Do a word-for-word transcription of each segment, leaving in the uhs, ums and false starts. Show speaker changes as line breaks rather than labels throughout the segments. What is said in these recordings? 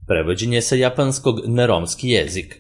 Prevođenje sa japanskog na romski jezik.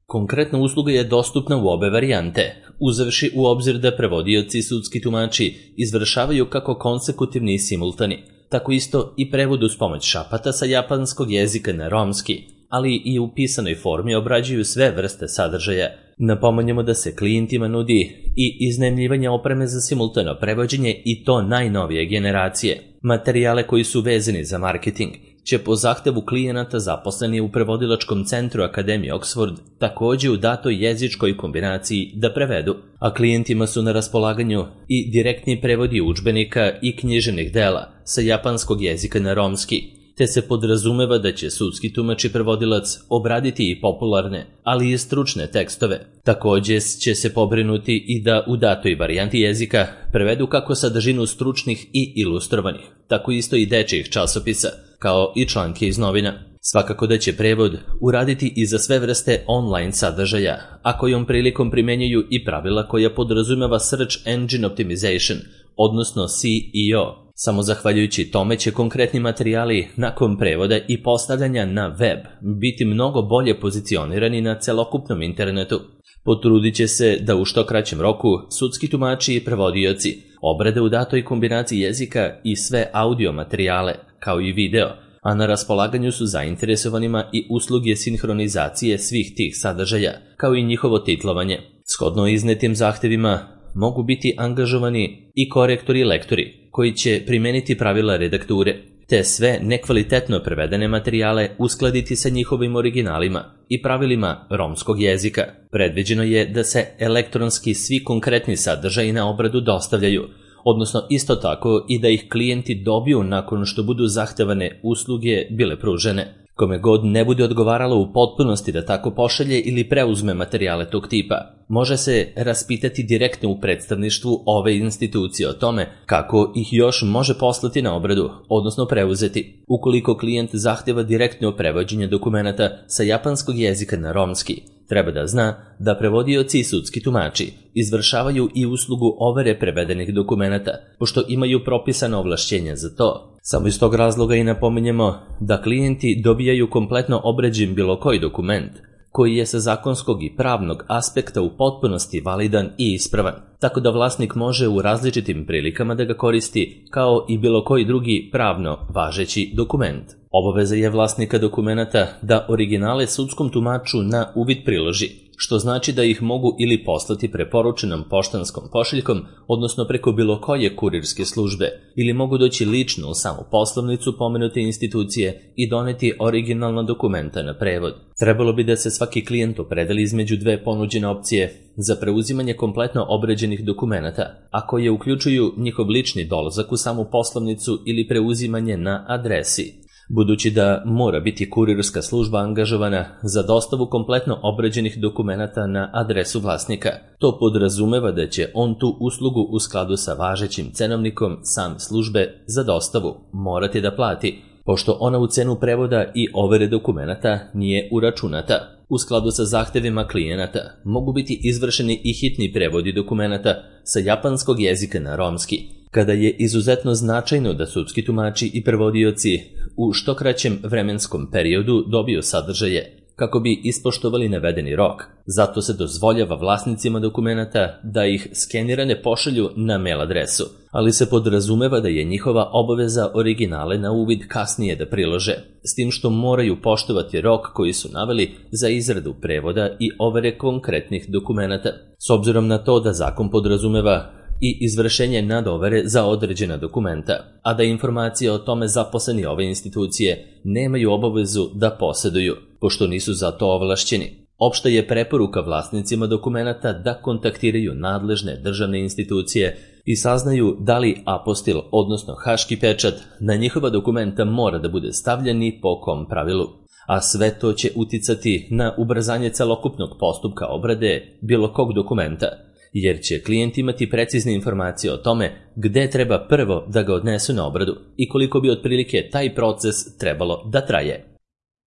Konkretna usluga je dostupna u obe varijante, uzevši u obzir da prevodioci i sudski tumači izvršavaju kako konsekutivni i simultani, tako isto i prevod uz pomoć šapata sa japanskog jezika na romski, ali i u pisanoj formi obrađuju sve vrste sadržaja. Napominjemo da se klijentima nudi i iznajmljivanje opreme za simultano prevođenje i to najnovije generacije. Materijale koji su vezani za marketing će po zahtevu klijenata zaposleni u prevodilačkom centru Akademije Oxford takođe u datoj jezičkoj kombinaciji da prevedu, a klijentima su na raspolaganju i direktni prevodi udžbenika i književnih dela sa japanskog jezika na romski, te se podrazumeva da će sudski tumač i prevodilac obraditi i popularne, ali i stručne tekstove. Takođe će se pobrinuti i da u datoj varijanti jezika prevedu kako sadržinu stručnih i ilustrovanih, tako isto i dečijih časopisa, kao i članke iz novina. Svakako da će prevod uraditi i za sve vrste online sadržaja, a kojom prilikom primenjuju i pravila koja podrazumeva Search Engine Optimization, odnosno S E O. Samo zahvaljujući tome će konkretni materijali nakon prevoda i postavljanja na web biti mnogo bolje pozicionirani na celokupnom internetu. Potrudit će se da u što kraćem roku sudski tumači i prevodioci obrade u datoj kombinaciji jezika i sve audio materijale, kao i video, a na raspolaganju su zainteresovanima i usluge sinhronizacije svih tih sadržaja, kao i njihovo titlovanje. Shodno iznetim zahtevima mogu biti angažovani i korektori i lektori, koji će primeniti pravila redakture, te sve nekvalitetno prevedene materijale uskladiti sa njihovim originalima i pravilima romskog jezika. Predviđeno je da se elektronski svi konkretni sadržaji na obradu dostavljaju, odnosno isto tako i da ih klijenti dobiju nakon što budu zahtevane usluge bile pružene. Kome god ne bude odgovaralo u potpunosti da tako pošalje ili preuzme materijale tog tipa, može se raspitati direktno u predstavništvu ove institucije o tome kako ih još može poslati na obradu, odnosno preuzeti. Ukoliko klijent zahteva direktno prevođenje dokumenata sa japanskog jezika na romski, treba da zna da prevodioci i sudski tumači izvršavaju i uslugu overe prevedenih dokumenata, pošto imaju propisano ovlašćenja za to. Samo iz tog razloga i napominjemo da klijenti dobijaju kompletno obrađen bilo koji dokument, koji je sa zakonskog i pravnog aspekta u potpunosti validan i ispravan, tako da vlasnik može u različitim prilikama da ga koristi kao i bilo koji drugi pravno važeći dokument. Obaveza je vlasnika dokumenata da originale sudskom tumaču na uvid priloži, što znači da ih mogu ili poslati preporučenom poštanskom pošiljkom, odnosno preko bilo koje kurirske službe, ili mogu doći lično u samu poslovnicu pomenute institucije i doneti originalna dokumenta na prevod. Trebalo bi da se svaki klijent opredeli između dve ponuđene opcije za preuzimanje kompletno obrađenih dokumenata, a koje uključuju njihov lični dolazak u samu poslovnicu ili preuzimanje na adresi. Budući da mora biti kurirska služba angažovana za dostavu kompletno obrađenih dokumenata na adresu vlasnika, to podrazumeva da će on tu uslugu u skladu sa važećim cenovnikom same službe za dostavu morati da plati, pošto ona u cenu prevoda i overe dokumenata nije uračunata. U skladu sa zahtevima klijenata mogu biti izvršeni i hitni prevodi dokumenata sa japanskog jezika na romski, kada je izuzetno značajno da sudski tumači i prevodioci u što kraćem vremenskom periodu dobiju sadržaje kako bi ispoštovali navedeni rok. Zato se dozvoljava vlasnicima dokumenata da ih skenirane pošalju na mail adresu, ali se podrazumeva da je njihova obaveza originale na uvid kasnije da prilože, s tim što moraju poštovati rok koji su naveli za izradu prevoda i overe konkretnih dokumenata. S obzirom na to da zakon podrazumeva i izvršenje nadovere za određena dokumenta, a da informacije o tome zaposleni ove institucije nemaju obavezu da poseduju, pošto nisu za to ovlašćeni. Opšta je preporuka vlasnicima dokumenata da kontaktiraju nadležne državne institucije i saznaju da li apostil, odnosno haški pečat, na njihova dokumenta mora da bude stavljen i po kom pravilu. A sve to će uticati na ubrzanje celokupnog postupka obrade bilo kog dokumenta, jer će klijent imati precizne informacije o tome gde treba prvo da ga odnesu na obradu i koliko bi otprilike taj proces trebalo da traje.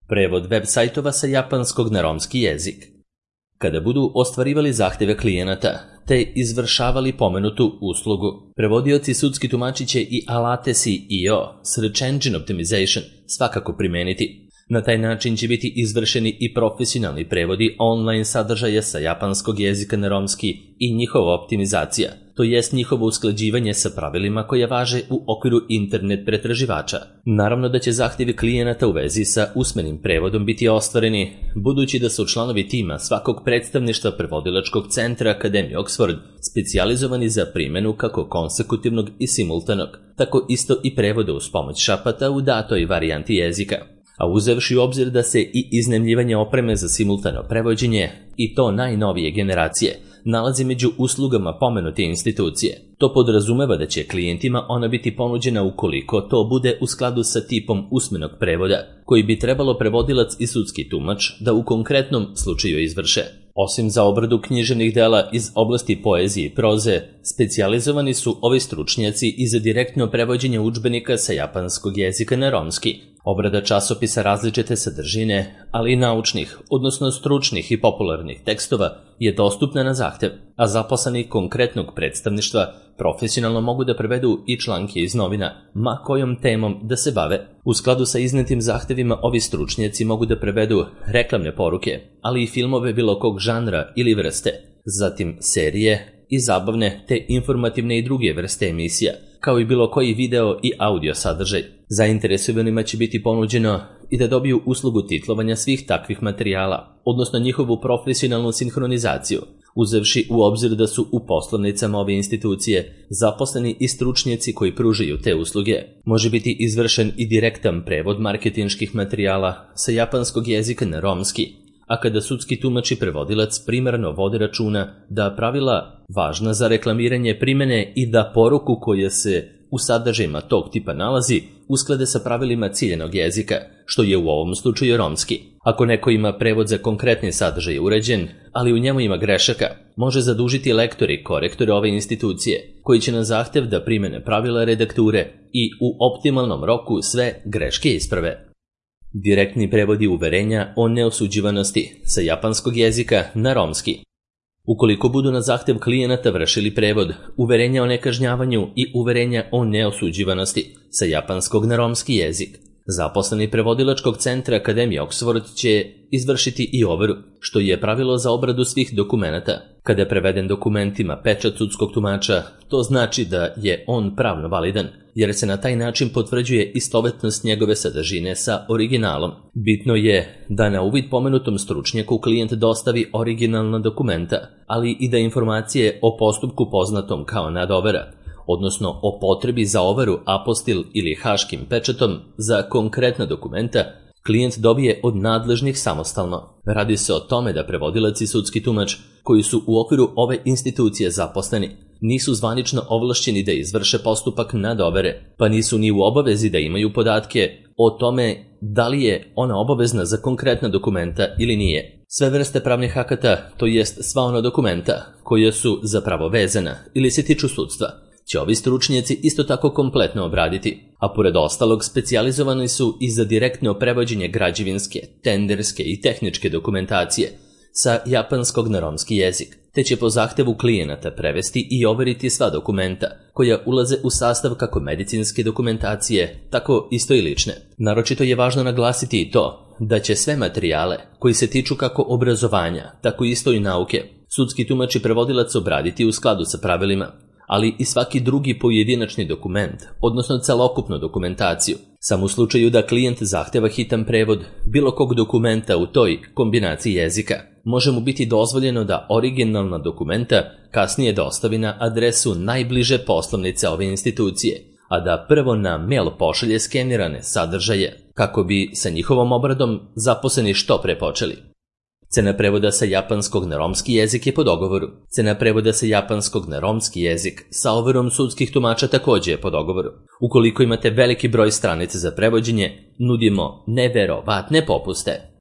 Prevod web sajtova sa japanskog na romski jezik. Kada budu ostvarivali zahteve klijenata te izvršavali pomenutu uslugu, prevodioci sudski tumači će i alate S E O, Search Engine Optimization, svakako primeniti. Na taj način će biti izvršeni i profesionalni prevodi online sadržaja sa japanskog jezika na romski i njihova optimizacija, to jest njihovo usklađivanje sa pravilima koja važe u okviru internet pretraživača. Naravno da će zahtjevi klijenata u vezi sa usmenim prevodom biti ostvareni, budući da su članovi tima svakog predstavništva prevodilačkog centra Akademije Oxford specijalizovani za primjenu kako konsekutivnog i simultanog, tako isto i prevoda uz pomoć šapata u datoj varijanti jezika. A uzevši u obzir da se i iznajmljivanje opreme za simultano prevođenje, i to najnovije generacije, nalazi među uslugama pomenute institucije. To podrazumeva da će klijentima ona biti ponuđena ukoliko to bude u skladu sa tipom usmenog prevoda, koji bi trebalo prevodilac i sudski tumač da u konkretnom slučaju izvrše. Osim za obradu književnih dela iz oblasti poezije i proze, specijalizovani su ovi stručnjaci i za direktno prevođenje udžbenika sa japanskog jezika na romski, obrada časopisa različite sadržine, ali i naučnih, odnosno stručnih i popularnih tekstova je dostupna na zahtev, a zaposleni konkretnog predstavništva profesionalno mogu da prevedu i članke iz novina, ma kojom temom da se bave. U skladu sa iznetim zahtevima ovi stručnjaci mogu da prevedu reklamne poruke, ali i filmove bilo kog žanra ili vrste, zatim serije i zabavne te informativne i druge vrste emisija, kao i bilo koji video i audio sadržaj. Zainteresovanima će biti ponuđeno i da dobiju uslugu titlovanja svih takvih materijala, odnosno njihovu profesionalnu sinhronizaciju, uzevši u obzir da su u poslovnicama ove institucije zaposleni i stručnjaci koji pružaju te usluge. Može biti izvršen i direktan prevod marketinških materijala sa japanskog jezika na romski, a kada sudski tumač i prevodilac primarno vode računa da pravila važna za reklamiranje primene i da poruku koja se u sadržajima tog tipa nalazi usklade sa pravilima ciljenog jezika, što je u ovom slučaju romski. Ako neko ima prevod za konkretni sadržaj uređen, ali u njemu ima grešaka, može zadužiti lektor i korektore ove institucije, koji će na zahtev da primene pravila redakture i u optimalnom roku sve greške isprave. Direktni prevodi uverenja o neosuđivanosti sa japanskog jezika na romski. Ukoliko budu na zahtev klijenata vršili prevod uverenja o nekažnjavanju i uverenja o neosuđivanosti sa japanskog na romski jezik, zaposleni prevodilačkog centra Akademije Oxford će izvršiti i overu, što je pravilo za obradu svih dokumenata. Kada je preveden dokumentima pečat sudskog tumača, to znači da je on pravno validan, jer se na taj način potvrđuje istovetnost njegove sadržine sa originalom. Bitno je da na uvid pomenutom stručnjaku klijent dostavi originalna dokumenta, ali i da informacije o postupku poznatom kao nadovera, odnosno o potrebi za overu apostil ili haškim pečatom za konkretna dokumenta, klijent dobije od nadležnih samostalno. Radi se o tome da prevodilac i sudski tumač, koji su u okviru ove institucije zaposleni, nisu zvanično ovlašćeni da izvrše postupak nadovere, pa nisu ni u obavezi da imaju podatke o tome da li je ona obavezna za konkretna dokumenta ili nije. Sve vrste pravnih akata, to jest sva ona dokumenta koja su zapravo vezana ili se tiču sudstva, će ovi stručnjaci isto tako kompletno obraditi, a pored ostalog specijalizovani su i za direktno prevođenje građevinske, tenderske i tehničke dokumentacije sa japanskog na romski jezik, te će po zahtevu klijenata prevesti i overiti sva dokumenta koja ulaze u sastav kako medicinske dokumentacije, tako isto i lične. Naročito je važno naglasiti i to da će sve materijale koji se tiču kako obrazovanja, tako isto i nauke, sudski tumač i prevodilac obraditi u skladu sa pravilima, ali i svaki drugi pojedinačni dokument, odnosno celokupnu dokumentaciju. Samo u slučaju da klijent zahteva hitan prevod bilo kog dokumenta u toj kombinaciji jezika, može mu biti dozvoljeno da originalna dokumenta kasnije dostavi na adresu najbliže poslovnice ove institucije, a da prvo na mail pošalje skenirane sadržaje, kako bi sa njihovom obradom zaposleni što pre počeli. Cena prevoda sa japanskog na romski jezik je po dogovoru. Cena prevoda sa japanskog na romski jezik sa overom sudskih tumača takođe je po dogovoru. Ukoliko imate veliki broj stranica za prevođenje, nudimo neverovatne popuste.